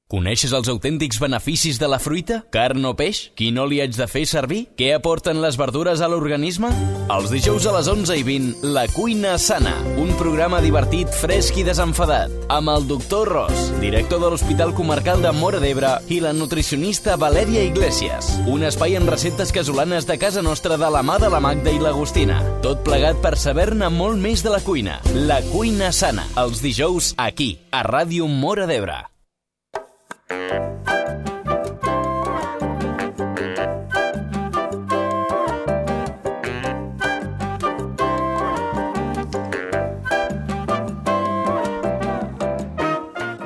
Coneixes els autèntics beneficis de la fruita? Carn o peix? Quin oli haig de fer servir? Què aporten les verdures a l'organisme? Els dijous a les 11:20, La Cuina Sana, un programa divertit, fresc i desenfadat, amb el doctor Ros, director de l'Hospital Comarcal de Móra d'Ebre, i la nutricionista Valèria Iglesias. Un espai amb receptes casolanes de casa nostra de la mà de la Magda i l'Agustina. Tot plegat per saber-ne molt més de la cuina. La Cuina Sana, els dijous aquí, a Ràdio Móra d'Ebre.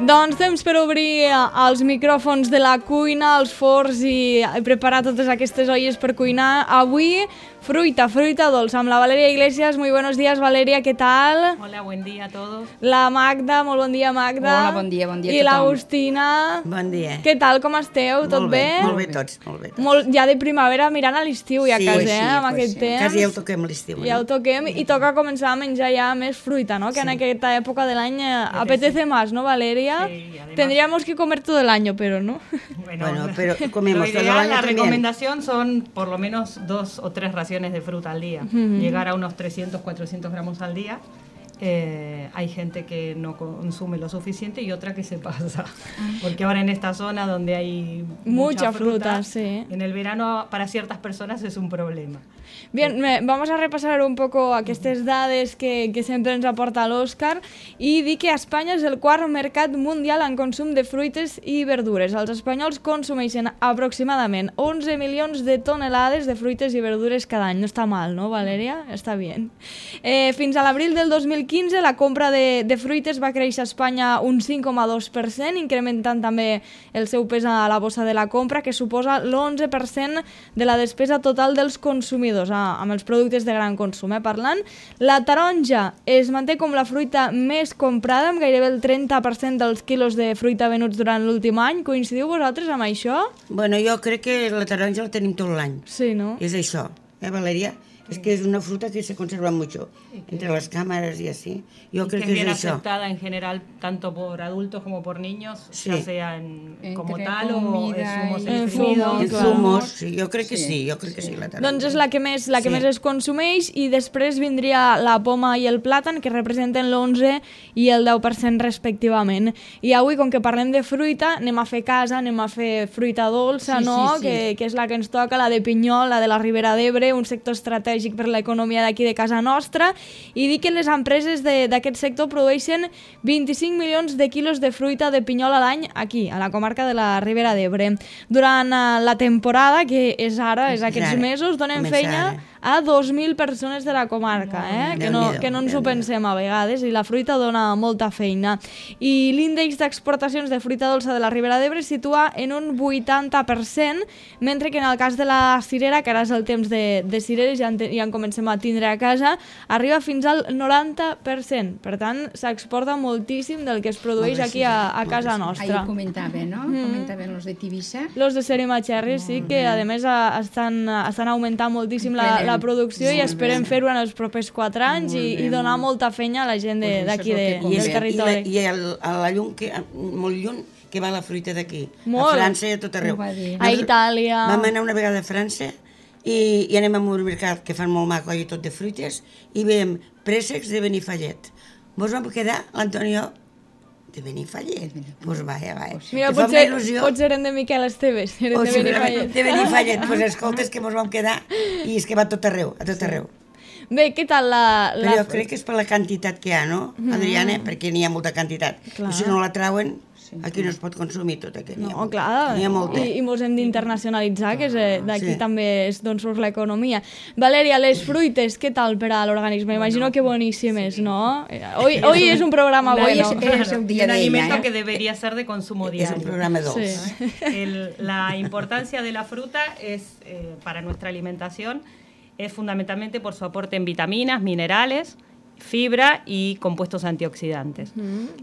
Doncs temps per obrir els micròfons de la cuina, els forns i preparar totes aquestes olles per cuinar. Avui, fruita dolça amb la Valeria Iglesias. Muy buenos días, Valeria, ¿qué tal? Hola, buen día a todos. La Magda, molt bon dia, Magda. Hola, bon dia a tothom. I l'Agustina. Bon dia. Què tal, com esteu? Tot bé? Molt bé tots, molt bé tots. Ja de primavera mirant a l'estiu ja quasi, amb aquest temps. Quasi ja ho toquem l'estiu. Ja ho toquem i toca començar a menjar ja més fruita, ¿no? Que en aquesta època de l'any apetece más, ¿no, Valeria? Sí, además... Tendríamos que comer todo el año, pero no. Bueno, pero comemos todo el año la también. recomendación son por lo menos 2 o 3 raciones de fruta al día. Llegar a unos 300, 400 gramos al día. Hay gente que no consume lo suficiente y otra que se pasa. Porque ahora en esta zona donde hay mucha fruta, sí. En el verano para ciertas personas es un problema. Bien, vamos a repasar un poco aquestes dades que sempre ens aporta l'Òscar i dir que Espanya és el quart mercat mundial en consum de fruites i verdures. Els espanyols consumeixen aproximadament 11 milions de tonelades de fruites i verdures cada any. No està mal, no, Valèria? Està bé. Fins a l'abril del 2015 la compra de fruites va créixer a Espanya un 5,2%, incrementant també el seu pes a la bossa de la compra, que suposa l'11% de la despesa total dels consumidors, amb els productes de gran consum, parlant. La taronja es manté com la fruita més comprada, amb gairebé el 30% dels quilos de fruita venuts durant l'últim any. Coincidiu vosaltres amb això? Bueno, jo crec que la taronja la tenim tot l'any. Sí, no? És això, Valeria? Es que es una fruta que se conserva mucho entre las cámaras y así. Yo creo que es bien eso. aceptada en general tanto por adultos como por niños, Sí. ya sea como tal o En en zumos exprimidos. En zumos, sí, jo crec que sí, jo crec que sí, la taronja. Doncs és la que més es consumeix, i després vindria la poma i el plàtan, que representen l'11 i el 10% respectivament. I avui, com que parlem de fruita, anem a fer casa, anem a fer fruita dolça, Sí, no? sí, sí. Que és la que ens toca, la de pinyol, la de la Ribera d'Ebre, un sector estratègic per l'economia d'aquí de casa nostra, i dir que les empreses d'aquest sector produeixen 25 milions de quilos de fruita de pinyol a l'any aquí, a la comarca de la Ribera d'Ebre. Durant la temporada, que és ara, és aquests mesos, donen feina a 2.000 persones de la comarca, que no ens ho pensem a vegades, i la fruita dona molta feina. I l'índex d'exportacions de fruita dolça de la Ribera d'Ebre es situa en un 80%, mentre que en el cas de la cirera, que ara és el temps de cireres, ja en comencem a tindre a casa, arriba fins al 90%. Per tant, s'exporta moltíssim del que es produeix aquí a casa nostra. Ahí comentaven, no? Comentaven los de Tivissa. Los de Serima Cherry, sí, que a més estan augmentant moltíssim la producció, i esperem fer-ho en els propers 4 anys i donar molta feina a la gent d'aquí del territori. I a la llum, molt lluny, que va la fruita d'aquí. Molt. A França i a tot arreu. A Itàlia. Vam anar una vegada a França i anem a un mercat que fan molt maco i tot de fruites i veiem préssecs de Benifallet. Mos vam quedar, l'Antonio, de Benifallet. Doncs vaja. Mira, potser eren de Miquel Esteves, eren de Benifallet. De Benifallet, doncs escoltes que mos vam quedar i és que va a tot arreu, a tot arreu. Bé, què tal la... Però jo crec que és per la quantitat que hi ha, no, Adriana? Perquè n'hi ha molta quantitat. I si no la trauen, aquí no es pot consumir tot aquest. No, clar, n'hi ha molta. I mos hem d'internacionalitzar, que d'aquí també és d'on surt l'economia. Valeria, les fruites, què tal per a l'organisme? Imagino que boníssimes, ¿no? Hoy es un programa bueno. Es un día un de alimento ella, que debería ser de consumo diario. És un programa dolç. Sí. La importancia de la fruta es para nuestra alimentación es fundamentalmente por su aporte en vitaminas, minerales, fibra y compuestos antioxidantes.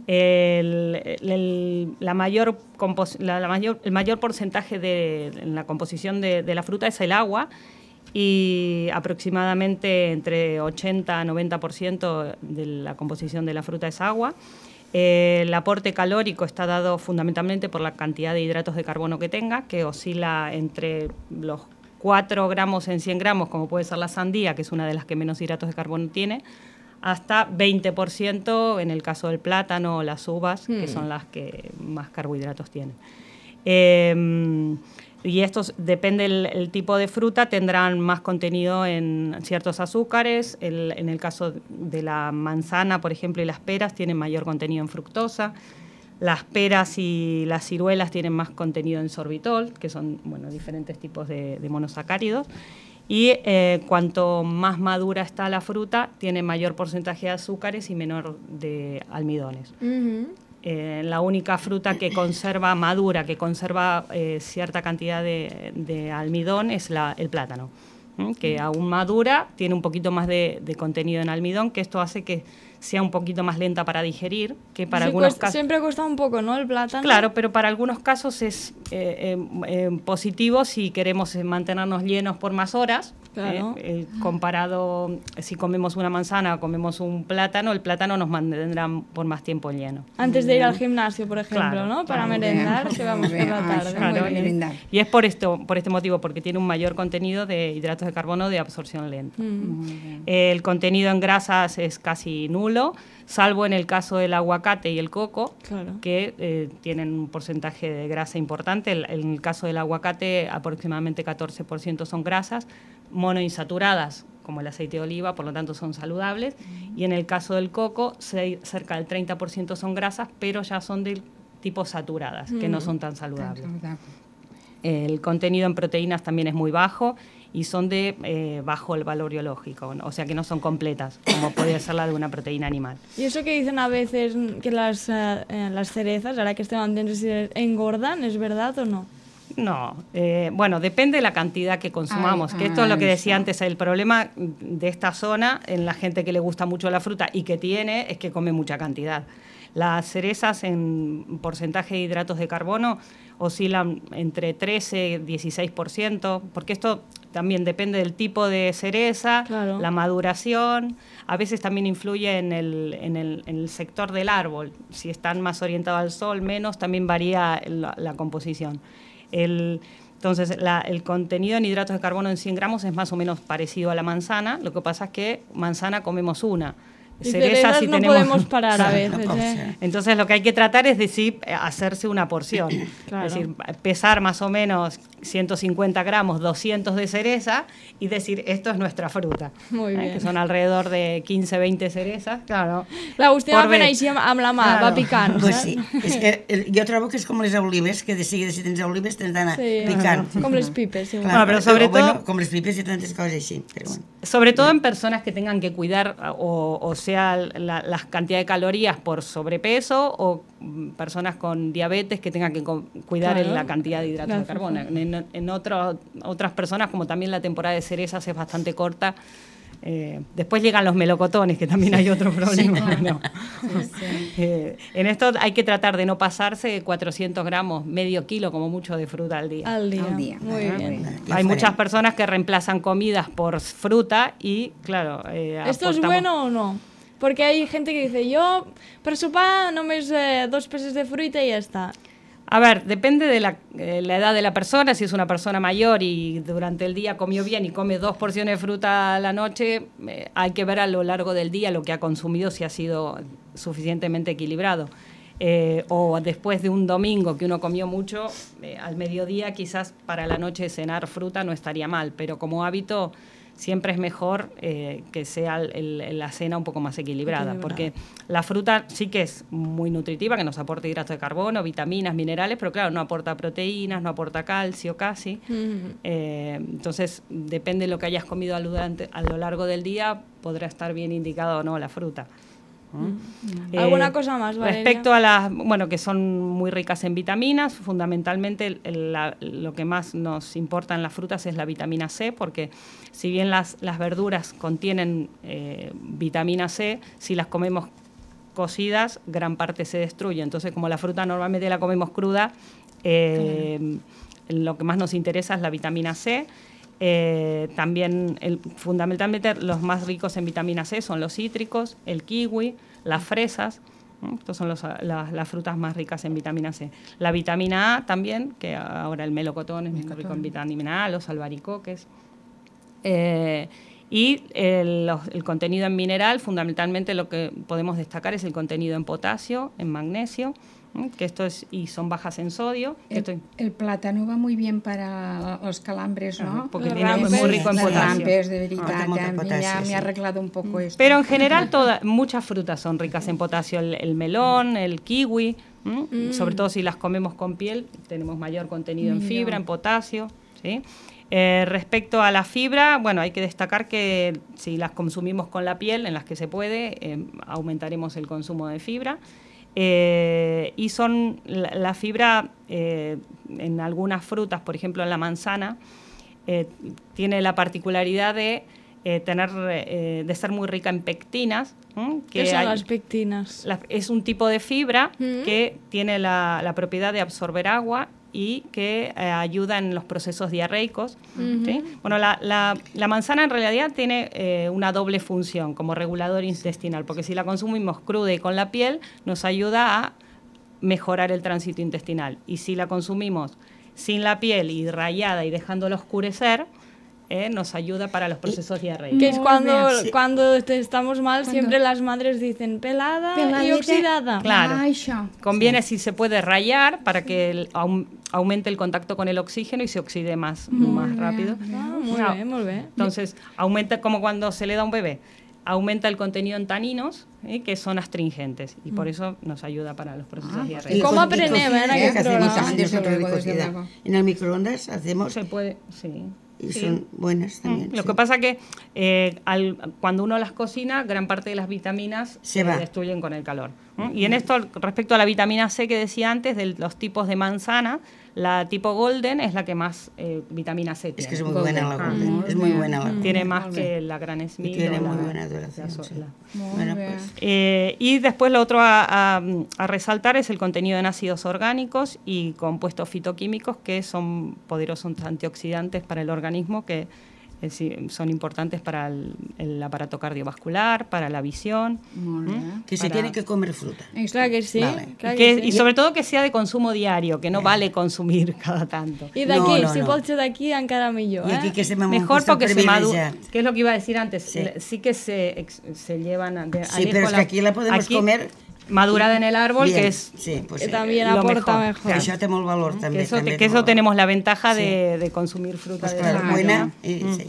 El mayor porcentaje en la composición de la fruta es el agua, y aproximadamente entre 80 a 90% de la composición de la fruta es agua. El aporte calórico está dado fundamentalmente por la cantidad de hidratos de carbono que tenga, que oscila entre los 4 gramos en 100 gramos, como puede ser la sandía, que es una de las que menos hidratos de carbono tiene, hasta 20% en el caso del plátano o las uvas, que son las que más carbohidratos tienen. Y estos, depende el tipo de fruta, tendrán más contenido en ciertos azúcares. En el caso de la manzana, por ejemplo, y las peras, tienen mayor contenido en fructosa. Las peras y las ciruelas tienen más contenido en sorbitol, que son diferentes tipos de monosacáridos. Y cuanto más madura está la fruta, tiene mayor porcentaje de azúcares y menor de almidones. La única fruta que conserva madura, que conserva cierta cantidad de almidón, es el plátano, que aún madura, tiene un poquito más de contenido en almidón, que esto hace que sea un poquito más lenta para digerir, que para algunos casos... Siempre cuesta un poco, ¿no?, el plátano. Claro, pero para algunos casos es positivo si queremos mantenernos llenos por más horas. Claro. Comparado, si comemos una manzana o comemos un plátano, el plátano nos mantendrá por más tiempo lleno. Antes de ir al gimnasio, por ejemplo, Claro, ¿no? Para merendar, que vamos por la tarde. Claro, Muy bien. y es por este motivo, porque tiene un mayor contenido de hidratos de carbono de absorción lenta. El contenido en grasas es casi nulo, salvo en el caso del aguacate y el coco, Claro. que tienen un porcentaje de grasa importante. En el caso del aguacate, aproximadamente 14% son grasas monoinsaturadas, como el aceite de oliva, por lo tanto son saludables. Y en el caso del coco, cerca del 30% son grasas, pero ya son del tipo saturadas, que no son tan saludables. El contenido en proteínas también es muy bajo y son de bajo el valor biológico, ¿no? O sea que no son completas, como podría ser la de una proteína animal. Y eso que dicen a veces que las cerezas, ahora que estem temps, engordan, ¿es verdad o no? No, depende de la cantidad que consumamos, que esto es lo que decía antes, el problema de esta zona en la gente que le gusta mucho la fruta y que tiene es que come mucha cantidad. Las cerezas en porcentaje de hidratos de carbono oscilan entre 13 y 16%, porque esto también depende del tipo de cereza, Claro. la maduración, a veces también influye en el sector del árbol, si están más orientados al sol, menos, también varía la composición. Entonces, el contenido en hidratos de carbono en 100 gramos es más o menos parecido a la manzana, lo que pasa es que manzana comemos una. Y cerezas sí no podemos parar a veces, no, ¿eh? Entonces lo que hay que tratar es decir, hacerse una porción. Claro. Es decir, pesar más o menos 150 gramos, 200 de cereza y decir, esto es nuestra fruta. Muy bien. Que son alrededor de 15, 20 cerezas, claro. L'Agustí va Por fent ver. així amb la mà, va picant, Pues saps? sí, és que jo trobo que és com les olives, que de seguida si tens olives tens d'anar picant. Com les pipes, sí. Bueno, pero sobre todo- com les pipes i tantes coses així, però bueno. Sobre todo en personas que tengan que cuidar, o sea, la cantidad de calorías por sobrepeso, o personas con diabetes que tengan que cuidar Claro. la cantidad de hidratos de Claro. carbono. En otras personas, como también la temporada de cerezas es bastante corta, después llegan los melocotones, que también hay otro problema. ¿No? En esto hay que tratar de no pasarse de 400 gramos, medio kilo como mucho de fruta al día. Al día. Al día. Muy Ah, bien. Ja Hay ho muchas farem. personas que reemplazan comidas por fruta y, claro... ¿Esto es aportamos- bueno o no? Porque hay gente que dice, yo per sopar només 2 peces de fruita y ya está. A ver, depende de la edad de la persona. Si es una persona mayor y durante el día comió bien y come 2 porciones de fruta a la noche, hay que ver a lo largo del día lo que ha consumido, si ha sido suficientemente equilibrado. O después de un domingo que uno comió mucho, al mediodía quizás para la noche cenar fruta no estaría mal, pero como hábito siempre es mejor que sea la cena un poco más equilibrada, porque la fruta sí que es muy nutritiva, que nos aporta hidratos de carbono, vitaminas, minerales, pero claro, no aporta proteínas, no aporta calcio casi. Entonces, depende de lo que hayas comido a lo largo del día, podrá estar bien indicado o no la fruta. ¿Alguna cosa más, Valeria? Respecto a las, que son muy ricas en vitaminas, fundamentalmente lo que más nos importa en las frutas es la vitamina C, porque si bien las verduras contienen vitamina C, si las comemos cocidas, gran parte se destruye. Entonces, como la fruta normalmente la comemos cruda, lo que más nos interesa es la vitamina C. También, fundamentalmente, los más ricos en vitamina C son los cítricos, el kiwi, las fresas, Estas son las frutas más ricas en vitamina C. La vitamina A también, que ahora el melocotón es muy rico en vitamina A, los albaricoques. Y el contenido en mineral, fundamentalmente lo que podemos destacar es el contenido en potasio, en magnesio, que y son bajas en sodio. El plátano va muy bien para los calambres, ¿no? Porque tiene muy rico en Los potasio. rampes, de verdad, potasio, me ha arreglado un poco esto. Pero en general muchas frutas son ricas en potasio, el melón, el kiwi, sobre todo si las comemos con piel, tenemos mayor contenido en fibra, en potasio, ¿sí? Respecto a la fibra, bueno, hay que destacar que si las consumimos con la piel, en las que se puede, aumentaremos el consumo de fibra. Y son la fibra en algunas frutas, por ejemplo en la manzana, tiene la particularidad de ser muy rica en pectinas. ¿Qué son las pectinas? Es un tipo de fibra que tiene la propiedad de absorber agua y que ayuda en los procesos diarreicos. ¿Sí? Bueno, la manzana en realidad tiene una doble función como regulador intestinal, porque si la consumimos cruda y con la piel, nos ayuda a mejorar el tránsito intestinal. Y si la consumimos sin la piel y rallada y dejándola oscurecer, nos ayuda para los procesos diarreicos. Que es cuando estamos mal, siempre las madres dicen pelada y oxidada. Claro. Conviene si se puede rallar para que aumente el contacto con el oxígeno y se oxide más rápido. Muy bien. Entonces, aumenta como cuando se le da a un bebé. Aumenta el contenido en taninos, que son astringentes, y por eso nos ayuda para los procesos diarreicos. ¿Cómo aprendemos en aquel programa? En el microondas hacemos... Se puede, sí. Y son buenas también. Lo que pasa que cuando uno las cocina, gran parte de las vitaminas se destruyen con el calor. Y en esto, respecto a la vitamina C que decía antes, de los tipos de manzana, la tipo Golden es la que más vitamina C tiene. Es que es muy buena la Golden. Es muy buena la Golden. Tiene más que la Gran Smith. Tiene muy buena duración. Bueno, pues. Y después lo otro a resaltar es el contenido en ácidos orgánicos y compuestos fitoquímicos que son poderosos antioxidantes para el organismo, que son importantes para el aparato cardiovascular, para la visión. Que se tiene que comer fruta. Claro que sí. Vale. Clar que sí. Y sobre todo que sea de consumo diario, que no vale consumir cada tanto. I d'aquí, si pot ser d'aquí, encara millor. Y aquí que se me Mejor porque se madura. privilegiat. ¿Qué es lo que iba a decir antes? Sí que se llevan... Sí, pero es que aquí la podemos comer... Madurada en el árbol, bien. que es... Sí, pues, Que también aporta mejor. Que això té molt valor, també. Que eso tenemos la ventaja de consumir fruta Pues de claro, esa buena. manera. Sí.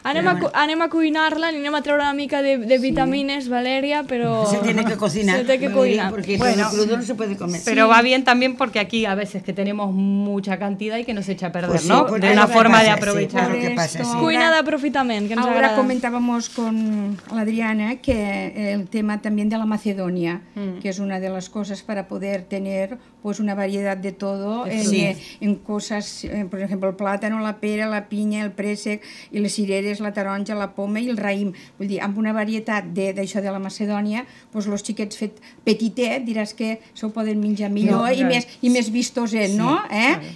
Anem a cuinar-la, anem a treure una mica de vitamines, Valeria, pero... Se tiene que cocinar. Se tiene que cocinar. Porque Bueno, crudo no se puede comer. Pero va bien también porque aquí a veces que tenemos mucha cantidad y que nos echa a perder, Pues sí, ¿no? pues De es una lo que forma de pasa, sí, aprovechar. es lo que pasa, sí. Cuina d'aprofitament, que ens Ahora agrada. comentábamos con la Adriana que el tema también de la Macedonia, que es una de las cosas para poder tener pues una variedad de todo en cosas, por ejemplo, el plátano, la pera, la pinya, el préssec i les cireres, la taronja, la poma i el raïm. Vull dir, amb una varietat d'això de la Macedònia, doncs els xiquets fet petitet, diràs que s'ho poden menjar millor i més vistoset, no?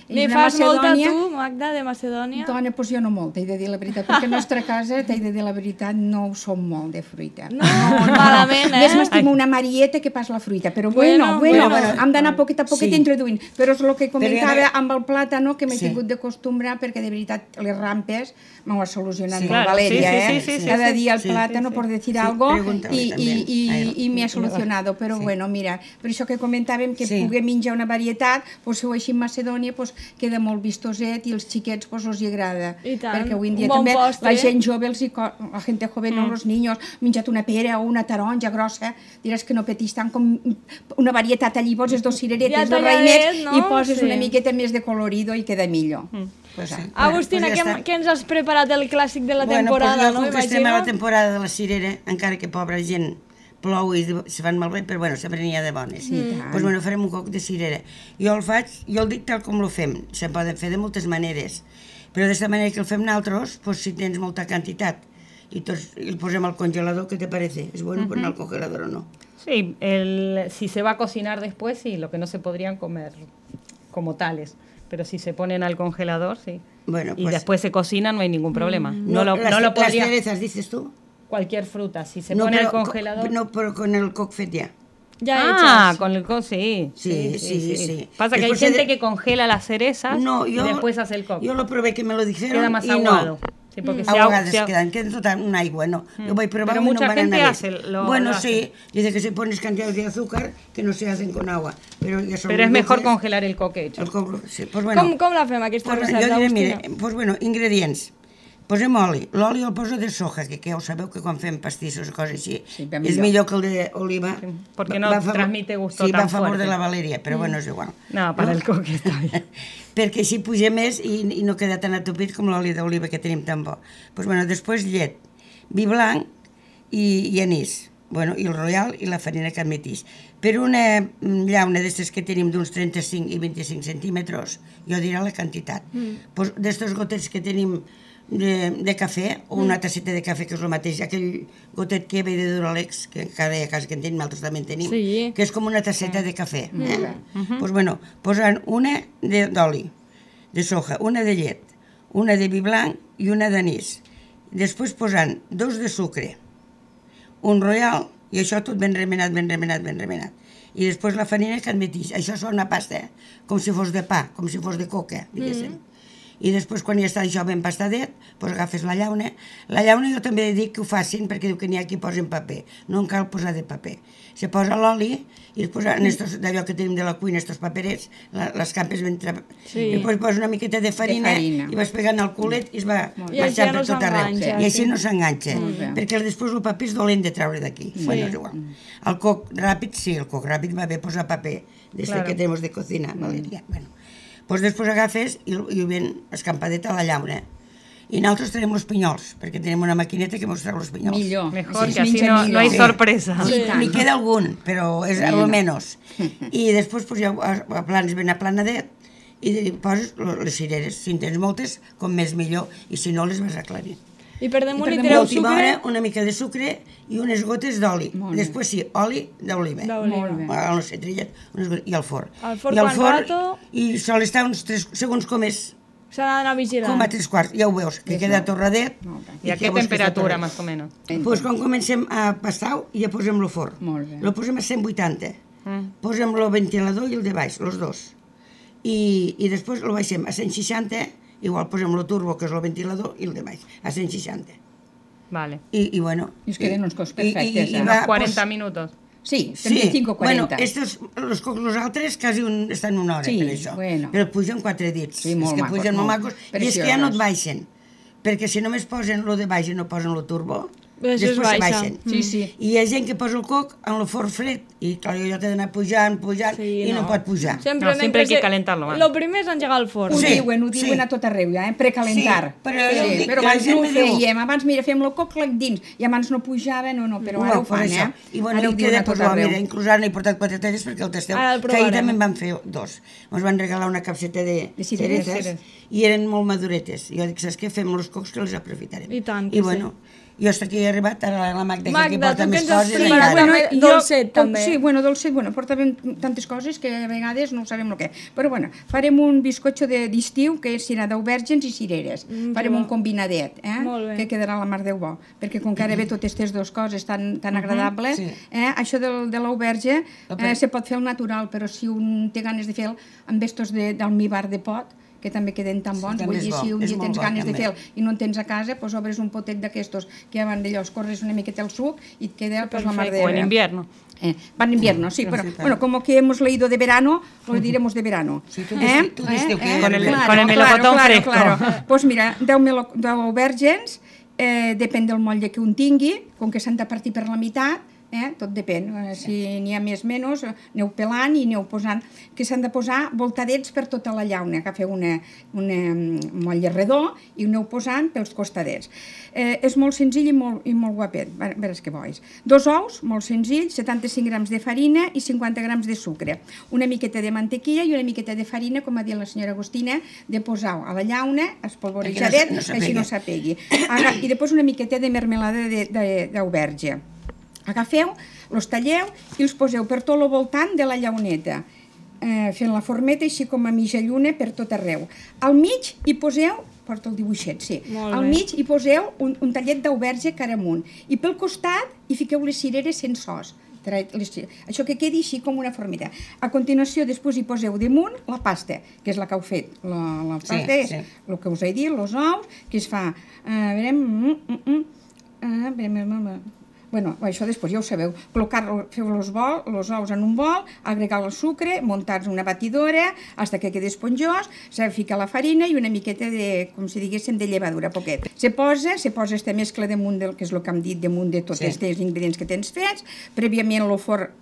Li fas molta tu, Magda, de Macedònia? Dona, doncs jo no molt, t'he de dir la veritat, perquè a la nostra casa, t'he de dir la veritat, no ho som molt de fruita. No, malament, Més m'estimo una marieta que pas la fruita, però bueno, hem d'anar poquet a poquet introduint. Però és el que comentava amb el plàtano, que m'he tingut d'acostumbrar, perquè de veritat les rampes m'ho ha solucionat molt, Valeria, cada dia el plàtano, por decir algo, i m'hi ha solucionado. Però bueno, mira, per això que comentàvem que puguem menjar una varietat, si ho així en Macedònia queda molt vistoset i els xiquets els hi agrada. Perquè avui en dia també la gent jove, la gent joven, els niños, menjat una pera o una taronja grossa, diràs que no petís tant com una varietat allí, poses dos cireretes, dos raïmets i poses una miqueta més de colorido i queda millor. Agustina, què ens has preparat el clàssic de la temporada? Bueno, pues jo, com que estem a la temporada de la cirera, encara que pobra gent plou i se fan malbé, però bueno, sempre n'hi ha de bones. Doncs bueno, farem un coc de cirera. Jo el dic tal com lo fem, se poden fer de moltes maneres, però d'aquesta manera que el fem nosaltres, pues, si tens molta quantitat i tots el posem al congelador, ¿qué te parece? ¿Es bueno poner al congelador o no? Sí, si se va a cocinar después, sí, lo que no se podrían comer como tales. Pero si se ponen al congelador, sí. Bueno, y después se cocinan, no hay ningún problema. No lo las podría... cerezas, dices tú. Cualquier fruta, si se pone al congelador... No, pero con el coc fet ya. Ya hechas. con el coco, sí. Sí. Pasa que hay Después gente que congela las cerezas y después hace el coco. Jo lo probé que me lo dijeron Queda más y aguado. no. Sí, porque A vegades queden tota una aigua, no. Yo voy a probar Pero y no mucha van a gente nada. hace Bueno, lo sí, dice que si pones cantidades de azúcar que no se hacen con agua. Pero es mejor congelar el coco hecho. El coco, sí. Pues bueno, Com la fem, aquesta pues, recepta, jo diré, Agustina? mira, pues bueno, ingredients. Posem oli. L'oli el poso de soja, que ja ho sabeu que quan fem pastissos o coses així, és millor que el d'oliva. Porque no transmite gusto sí, tan va a favor fuerte. de la Valeria, però bueno, és igual. No, para el coco está bien. Perquè així puja més i no queda tan atopit com l'oli d'oliva que tenim tan bo. Pues bueno, després llet, vi blanc i anís. Bueno, i el royal i la farina que admetís. Per una llauna d'estes que tenim d'uns 35 i 25 centímetres, jo diré la quantitat. Pues d'estos gotets que tenim de cafè, o una tasseta de cafè, que és el mateix, aquell gotet que ve de Duralex, que cada casa que en tenim, nosaltres també en tenim, que és com una tasseta de cafè. Pues bueno, posant una d'oli, de soja, una de llet, una de vi blanc i una d'anís. Després posant 2 de sucre, un royal, i això tot ben remenat. I després la farina que admetís. Això és una pasta, com si fos de pa, com si fos de coca, diguéssim. I després, quan ja està això ben pastadet, doncs agafes la llauna. La llauna jo també dic que ho facin, perquè diu que n'hi ha qui posen paper. No en cal posar de paper. Se posa l'oli i es posa d'allò que tenim de la cuina, estos paperets, les campes ben... I després posa una miqueta de farina i vas pegant el culet i es va marxant per tot arreu. I així no s'enganxa. Perquè després el paper és dolent de treure d'aquí. Bueno, és igual. El coc ràpid, sí, el coc ràpid va bé posar paper, des que tenim de cocina, Valeria. Bueno. Pues després agafes i ho ven escampadet a la llauna. I nosaltres tenim els pinyols, perquè tenim una maquineta que mos treu els pinyols. Millor. Mejor, que así no hay sorpresa. N'hi queda algun, però és al menys. I després ja aplanes ben aplanadet i poses les cireres. Si en tens moltes, com més millor, i si no les vas aclarint. I per damunt hi I tireu última sucre? hora una mica de sucre i unes gotes d'oli. Després sí, oli d'oliva. No sé, trillet, i al forn. Al forn quant rato? I sol estar uns 3 segons com és. S'ha d'anar vigilant. Com a 3/4, ja ho veus, que queda torradet. I a què temperatura, més o menys? Doncs quan comencem a pastar-ho, ja posem el forn. Lo posem a 180. Posem el ventilador i el de baix, els dos. I després el baixem a 160. Igual posem el turbo, que és el ventilador, i el de baix, a 160. Vale. I bueno... I es queden uns cocs perfectes. I unos 40 minutos. Sí, 35 o 40. Bueno, los altres quasi estan una hora per això. Però pugen 4 dits. Sí, molt macos. És que pugen molt macos. I és que ja no et baixen. Perquè si només posen lo de baix i no posen lo turbo, després se baixen. I hi ha gent que posa el coc en el forn fred i clar, jo t'he d'anar pujant i no pot pujar. Sempre hay que calentar-lo. Lo primer és engegar el forn. Ho diuen a tot arreu ja, precalentar. Però abans no ho fèiem, abans mira, fèiem el coc dins i abans no pujava, però ara ho fan, I bueno, i queda, mira, inclús ara n'he portat 4 talles perquè el tasteu, que ahir també en van fer 2. Ens van regalar una capseta de cereces i eren molt maduretes. Jo dic, saps què? Fem els cocs que els aprofitarem. I tant, I bueno, jo hasta aquí he arribat, ara la Magda que porta més coses. Dolcet, també. Sí, dolcet, portàvem tantes coses que a vegades no sabem el què. Però bueno, farem un bizcocho d'estiu que serà d'aubergines i cireres. Farem un combinadet, que quedarà la mar Déu bo. Perquè com que ara ve totes aquestes dues coses tan agradables, això de l'auberge se pot fer al natural, però si un té ganes de fer amb estos d'almíbar de pot, que també queden tan bons, vull dir, si un dia tens ganes de fer i no en tens a casa, doncs obres un potet d'aquestos que van d'allò, escorres una miqueta el suc i et queda la mar de... O en invierno. Va en invierno, sí, pero bueno, como que hemos leído de verano, lo diremos de verano. Sí, tú dices que con el melocotón fresco. Pues mira, 10 aubergines, depèn del motlle que un tingui, com que s'han de partir per la meitat, tot depèn, si n'hi ha més o menys, aneu pelant i aneu posant, que s'han de posar voltadets per tota la llauna, agafeu un motlle redó i aneu posant pels costadets. És molt senzill i molt guapet, a veure què vols. 2 ous, molt senzill, 75 grams de farina i 50 grams de sucre, una miqueta de mantequilla i una miqueta de farina, com ha dit la senyora Agustina, de posar a la llauna, espolvorejadet, que així no s'apegui. I després una miqueta de mermelada d'auberge. Agafeu, els talleu i els poseu per tot el voltant de la llauneta, fent la formeta així com a mitja lluna per tot arreu. Al mig hi poseu, porta el dibuixet, sí, al mig hi poseu un tallet d'auberge cara amunt i pel costat hi fiqueu les cireres sense os, això que quedi així com una formita. A continuació, després hi poseu damunt la pasta, que és la que heu fet. La pasta és el que us he dit, els ous, que es fa... Bueno, això després ja ho sabeu. Feu els ous en un bol, agregar el sucre, muntar una batidora, fins que quedi esponjós, s'ha de ficar la farina i una miqueta de, com si diguéssim, de llevadura, poquet. Se posa esta mescla damunt del, que és el que hem dit, damunt de tots els ingredients que tens fets. Prèviament el forn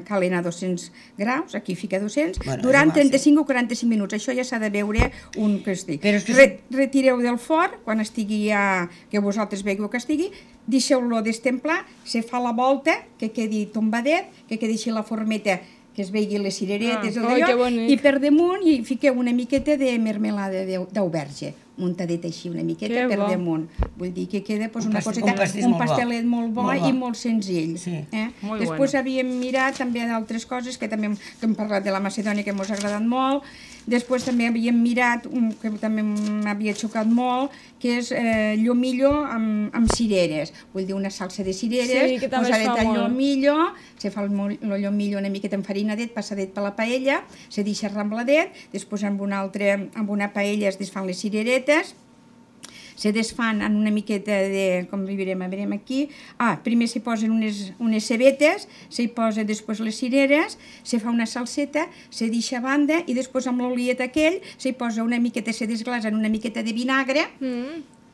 calen a 200 graus, aquí fica 200, durant 35 o 45 minuts. Això ja s'ha de veure un que estigui. Retireu del forn, quan estigui ja, que vosaltres veieu que estigui, deixeu-lo destemplar, se fa la volta, que quedi tombadet, que quedi així la formeta, que es vegi les cireretes, i per damunt hi fiqueu una miqueta de mermelada d'auberge, muntadeta així una miqueta per damunt. Vull dir que queda una coseta, un pastelet molt bo i molt senzill. Després havíem mirat també d'altres coses, que també hem parlat de la macedònia, que ens ha agradat molt. Després també havíem mirat, que també m'havia xocat molt, que és llomillo amb cireres. Vull dir, una salsa de cireres, posadet al llomillo, se fa el llomillo una miqueta enfarinadet, passadet per la paella, se deixa rembladet, després amb una paella es desfan les cireretes, se desfan en una miqueta de, com veurem aquí, primer s'hi posen unes cebetes, s'hi posa després les cireres, se fa una salseta, se deixa a banda i després amb l'oliet aquell s'hi posa una miqueta, se desglasa en una miqueta de vinagre,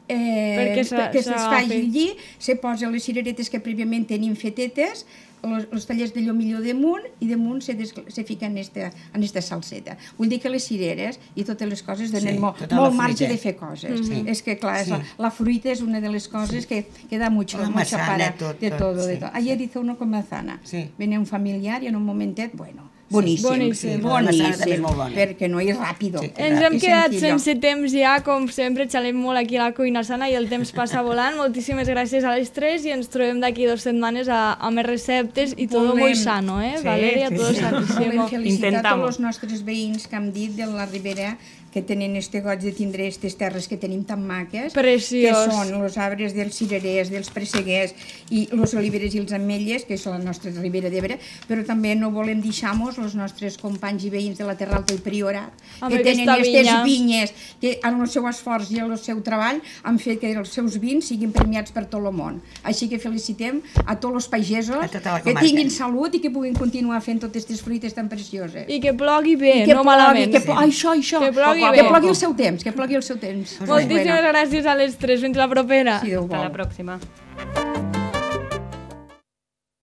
perquè es faci allí, se posa les cireretes que prèviament tenim fetetes, els tallers de llomillo damunt i damunt se fica en esta salseta. Vull dir que les cireres i totes les coses donen molt marge de fer coses. És que, clar, la fruita és una de les coses que da mucho para de todo. Ayer hizo uno con manzana. Viene un familiar i en un momentet, bueno, boníssim, perquè no és ràpido. Ens hem quedat sense temps ja, com sempre, xalem molt aquí a la Cuina Sana i el temps passa volant. Moltíssimes gràcies a les tres i ens trobem d'aquí 2 setmanes a més receptes i tot molt sano, Valeria? Tot saníssim. Volem felicitar tots els nostres veïns que hem dit de la Ribera, que tenen este goig de tindre aquestes terres que tenim tan maques, que són els arbres dels cirerers, dels presseguers i les oliveres i els ametlles, que és la nostra Ribera d'Ebre, però també no volem deixar-nos els nostres companys i veïns de la Terra Alta i Priorat, que tenen aquestes vinyes, que amb el seu esforç i el seu treball han fet que els seus vins siguin premiats per tot el món. Així que felicitem a tots els pagesos, que tinguin salut i que puguin continuar fent totes aquestes fruites tan precioses. I que plogui bé, no malament. Això. Que plogui el seu temps, Moltíssimes gràcies a les tres. Fins la propera. Si Déu vol. Hasta la pròxima.